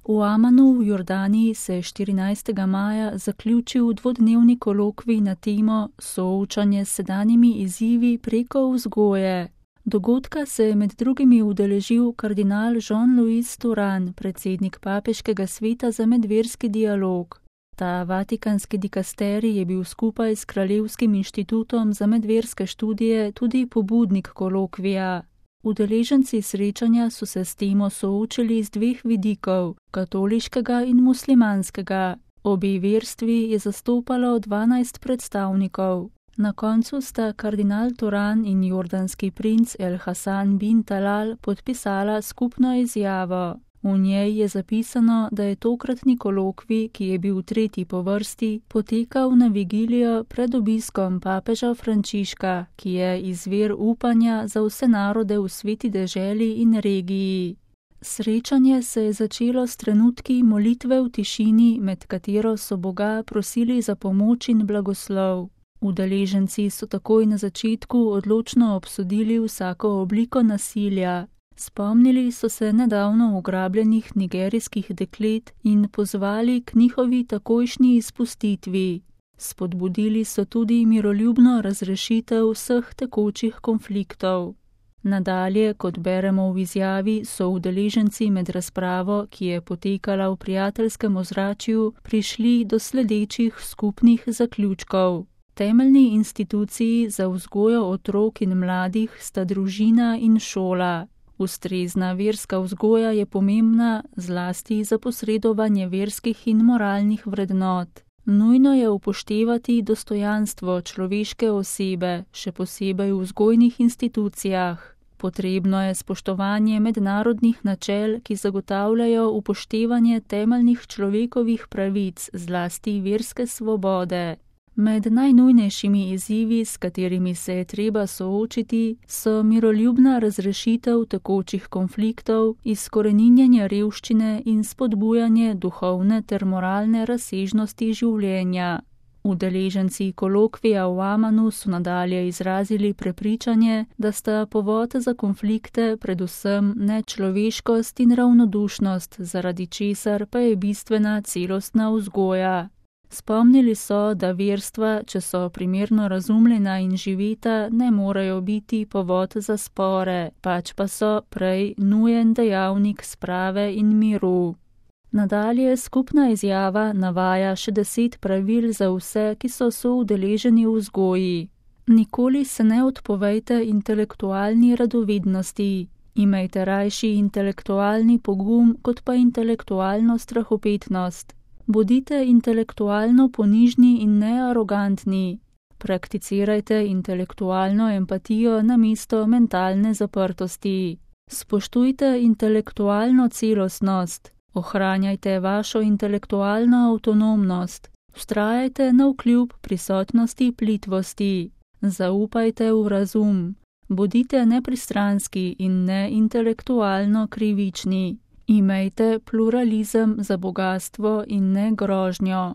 V Amanu v Jordaniji se je 14. maja zaključil dvodnevni kolokvij na temo Soočanje s sedanjimi izzivi preko vzgoje. Dogodka se je med drugimi udeležil kardinal Jean-Louis Turhan, predsednik Papeškega sveta za medverski dialog. Ta vatikanski dikasterij je bil skupaj s Kraljevskim inštitutom za medverske študije tudi pobudnik kolokvija. Udeleženci srečanja so se s temo soočili z dveh vidikov, katoliškega in muslimanskega. Obe verstvi je zastopalo 12 predstavnikov. Na koncu sta kardinal Turhan in jordanski princ El Hasan bin Talal podpisala skupno izjavo. V njej je zapisano, da je tokratni kolokvij, ki je bil tretji po vrsti, potekal na vigilijo pred obiskom papeža Frančiška, ki je izvir upanja za vse narode v sveti deželi in regiji. Srečanje se je začelo s trenutki molitve v tišini, med katero so Boga prosili za pomoč in blagoslov. Udeleženci so takoj na začetku odločno obsodili vsako obliko nasilja. Spomnili so se nedavno ugrabljenih nigerijskih deklet in pozvali k njihovi takojšnji izpustitvi. Spodbudili so tudi miroljubno razrešitev vseh tekočih konfliktov. Nadalje, kot beremo v izjavi, so udeleženci med razpravo, ki je potekala v prijateljskem ozračju, prišli do sledečih skupnih zaključkov. Temeljni instituciji za vzgojo otrok in mladih sta družina in šola. Ustrezna verska vzgoja je pomembna zlasti za posredovanje verskih in moralnih vrednot. Nujno je upoštevati dostojanstvo človeške osebe, še posebej v vzgojnih institucijah. Potrebno je spoštovanje mednarodnih načel, ki zagotavljajo upoštevanje temeljnih človekovih pravic, zlasti verske svobode. Med najnujnejšimi izzivi, s katerimi se je treba soočiti, so miroljubna razrešitev tekočih konfliktov, izkoreninjenje revščine in spodbujanje duhovne ter moralne razsežnosti življenja. Udeleženci kolokvija v Amanu so nadalje izrazili prepričanje, da sta povod za konflikte predvsem nečloveškost in ravnodušnost, zaradi česar pa je bistvena celostna vzgoja. Spomnili so, da verstva, če so primerno razumljena in živeta, ne morejo biti povod za spore, pač pa so prej nujen dejavnik sprave in miru. Nadalje skupna izjava navaja še 10 pravil za vse, ki so soudeleženi v vzgoji. Nikoli se ne odpovejte intelektualni radovednosti. Imejte rajši intelektualni pogum, kot pa intelektualno strahopetnost. Bodite intelektualno ponižni in nearogantni. Prakticirajte intelektualno empatijo namesto mentalne zaprtosti. Spoštujte intelektualno celostnost. Ohranjajte vašo intelektualno avtonomnost. Vztrajajte navkljub prisotnosti plitvosti. Zaupajte v razum. Bodite nepristranski in ne intelektualno krivični. Imejte pluralizem za bogastvo in ne grožnjo.